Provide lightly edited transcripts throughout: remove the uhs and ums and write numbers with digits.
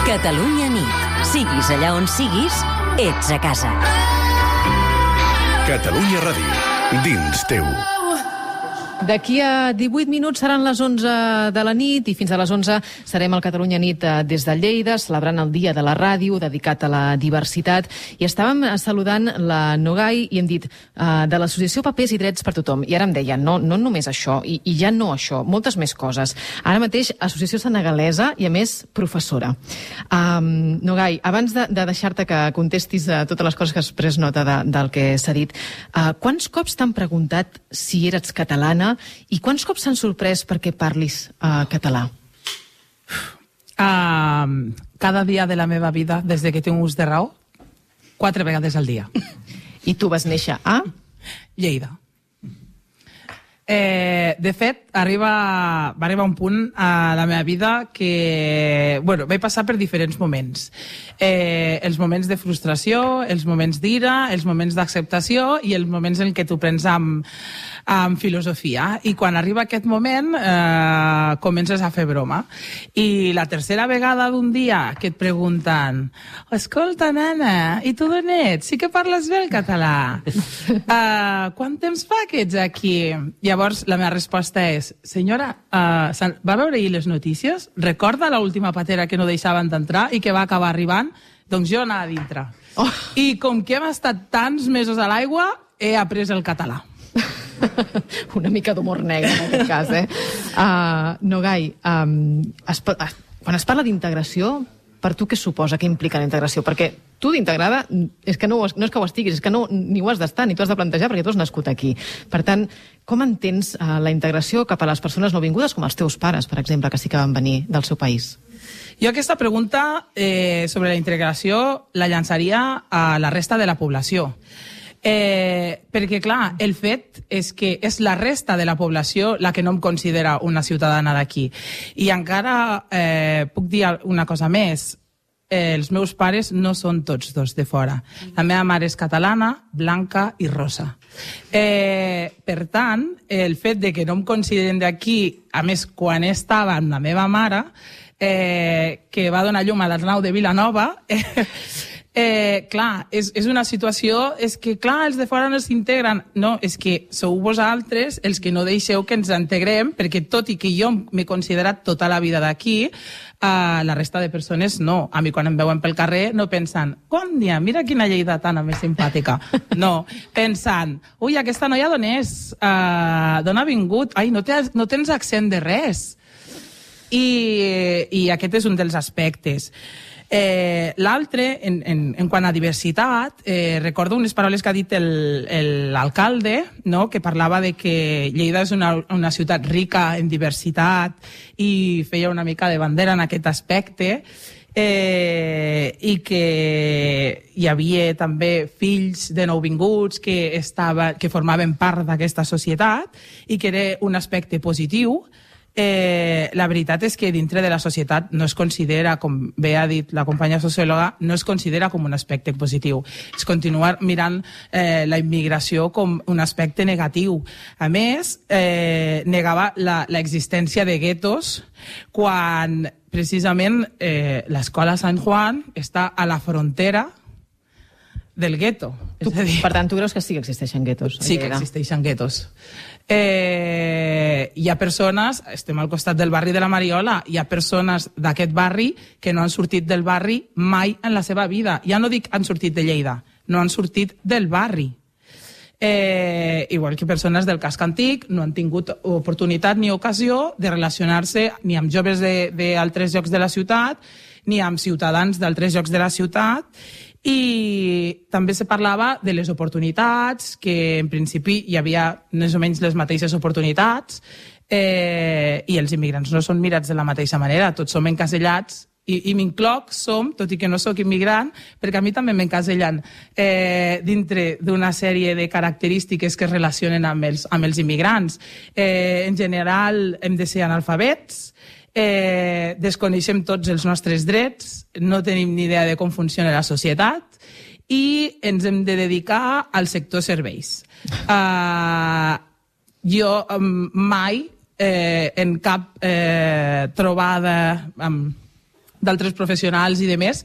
Catalunya nit. Siguis allà on siguis, ets a casa. Catalunya Ràdio, dins teu. D'aquí a 18 minuts seran les 11 de la nit i fins a les 11 serem al Catalunya Nit des de Lleida, celebrant el Dia de la Ràdio dedicat a la diversitat. I estàvem saludant la Nogai i hem dit de l'Associació Papers i Drets per Tothom. I ara em deia, no només això, i ja no això, moltes més coses. Ara mateix, associació senegalesa i, a més, professora. Nogai, abans de deixar-te que contestis a totes les coses que has pres nota del que s'ha dit, quants cops t'han preguntat si eres catalana i quants cops s'han sorprès perquè parlis català? Cada dia de la meva vida, des que tinc ús de raó, 4 vegades al dia. I tu vas néixer a? Lleida. De fet, va arribar un punt a la meva vida que vaig passar per diferents moments. Els moments de frustració, els moments d'ira, els moments d'acceptació i els moments en què tu prens amb filosofia. I quan arriba aquest moment comences a fer broma. I la tercera vegada d'un dia que et pregunten escolta, nana, i tu d'on ets? Sí que parles bé el català. Quant temps fa que ets aquí? Llavors la meva resposta és senyora, va veure ahir les notícies? Recorda l'última patera que no deixaven d'entrar i que va acabar arribant? Doncs jo anava a dintre. I com que hem estat tants mesos a l'aigua, he après el català. Una mica d'humor negre, en aquest cas, Nogai, quan es parla d'integració, per tu què suposa, què implica la integració? Perquè tu d'integrada és que no és que ho estiguis, és que ni ho has d'estar, ni t'ho has de plantejar, perquè tu has nascut aquí. Per tant, com entens la integració cap a les persones nouvingudes, com els teus pares, per exemple, que sí que van venir del seu país? Jo aquesta pregunta sobre la integració la llançaria a la resta de la població. Perquè, clar, el fet és que és la resta de la població la que no em considera una ciutadana d'aquí. I encara puc dir una cosa més. Els meus pares no són tots dos de fora. La meva mare és catalana, blanca i rosa. Per tant, el fet de que no em consideren d'aquí, a més, quan estava amb la meva mare, que va donar llum a l'Arnau de Vilanova... clar, és una situació, és que clar, els de fora no s'integren. No, és que sou vosaltres els que no deixeu que ens integrem, perquè tot i que jo m'he considerat tota la vida d'aquí, la resta de persones no. A mi quan em veuen pel carrer no pensen, Còndia, mira quina lleidatana més simpàtica. No, pensen, ui, aquesta noia d'on és? D'on ha vingut? Ai, no tens accent de res. I aquest és un dels aspectes. L'altre, en quant a diversitat, recordo unes paraules que ha dit l'alcalde, que parlava de que Lleida és una ciutat rica en diversitat i feia una mica de bandera en aquest aspecte, i que hi havia també fills de nouvinguts que formaven part d'aquesta societat i que era un aspecte positiu. La veritat és que dintre de la societat no es considera, com bé ha dit la companya sociòloga, no es considera com un aspecte positiu. És continuar mirant la immigració com un aspecte negatiu. A més, negava l'existència de guetos quan precisament l'escola Sant Juan està a la frontera del gueto. Per tant, tu creus que sí que existeixen guetos? Sí que existeixen guetos. Hi ha persones, estem al costat del barri de la Mariola, hi ha persones d'aquest barri que no han sortit del barri mai en la seva vida. Ja no dic han sortit de Lleida, no han sortit del barri. Igual que persones del casc antic no han tingut oportunitat ni ocasió de relacionar-se ni amb joves d'altres llocs de la ciutat ni amb ciutadans d'altres llocs de la ciutat. I també se parlava de les oportunitats, que en principi hi havia més o menys les mateixes oportunitats, i els immigrants no són mirats de la mateixa manera, tots som encasellats, i m'incloc, tot i que no sóc immigrant, perquè a mi també m'encasellen dintre d'una sèrie de característiques que es relacionen amb els immigrants. En general hem de ser analfabets, desconeixem tots els nostres drets, no tenim ni idea de com funciona la societat i ens hem de dedicar al sector serveis. Jo mai en cap trobada d'altres professionals i de més,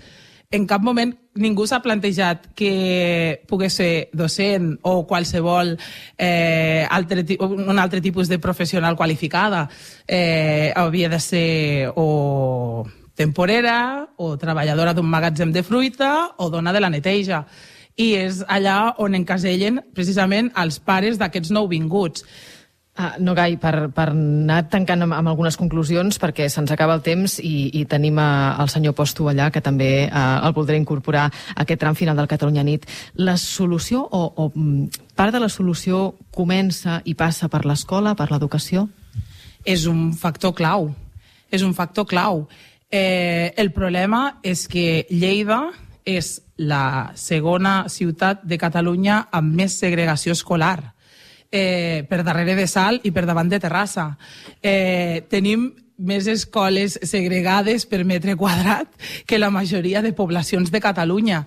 en cap moment ningú s'ha plantejat que pogués ser docent o qualsevol un altre tipus de professional qualificada. Havia de ser o temporera o treballadora d'un magatzem de fruita o dona de la neteja. I és allà on encasellen precisament els pares d'aquests nouvinguts. No, Gai, per anar tancant amb algunes conclusions, perquè se'ns acaba el temps i tenim el senyor Posto allà, que també el voldré incorporar a aquest tram final del Catalunya Nit. La solució o part de la solució comença i passa per l'escola, per l'educació? És un factor clau. És un factor clau. El problema és que Lleida és la segona ciutat de Catalunya amb més segregació escolar. Per darrere de Salt i per davant de Terrassa. Tenim més escoles segregades per metre quadrat que la majoria de poblacions de Catalunya.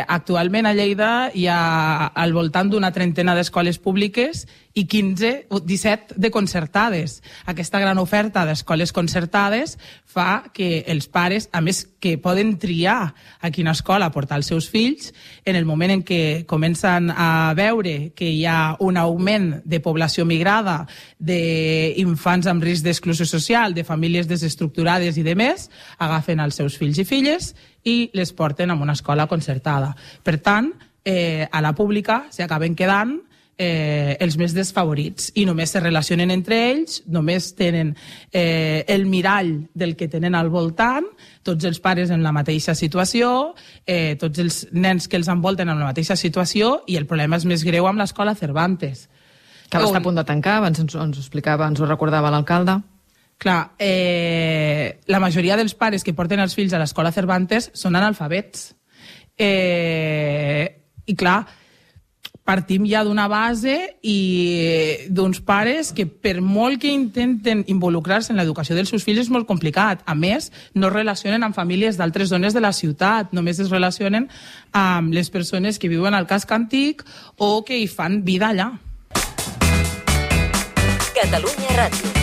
Actualment a Lleida hi ha al voltant d'una trentena d'escoles públiques i 15 o 17 de concertades. Aquesta gran oferta d'escoles concertades fa que els pares, a més que poden triar a quina escola portar els seus fills, en el moment en què comencen a veure que hi ha un augment de població migrada, d'infants amb risc d'exclusió social, de famílies desestructurades i de més, agafen els seus fills i filles i les porten a una escola concertada. Per tant, a la pública s'acaben quedant els més desfavorits i només se relacionen entre ells, només tenen el mirall del que tenen al voltant, tots els pares en la mateixa situació, tots els nens que els envolten en la mateixa situació, i el problema és més greu amb l'escola Cervantes. Que va estar a punt de tancar, abans ens ho explicava, ens ho recordava l'alcalde. Clar, la majoria dels pares que porten els fills a l'escola Cervantes són analfabets. I clar, partim ja d'una base i d'uns pares que per molt que intenten involucrar-se en l'educació dels seus fills és molt complicat. A més, no es relacionen amb famílies d'altres zones de la ciutat, només es relacionen amb les persones que viuen al casc antic o que hi fan vida allà. Catalunya Ràdio.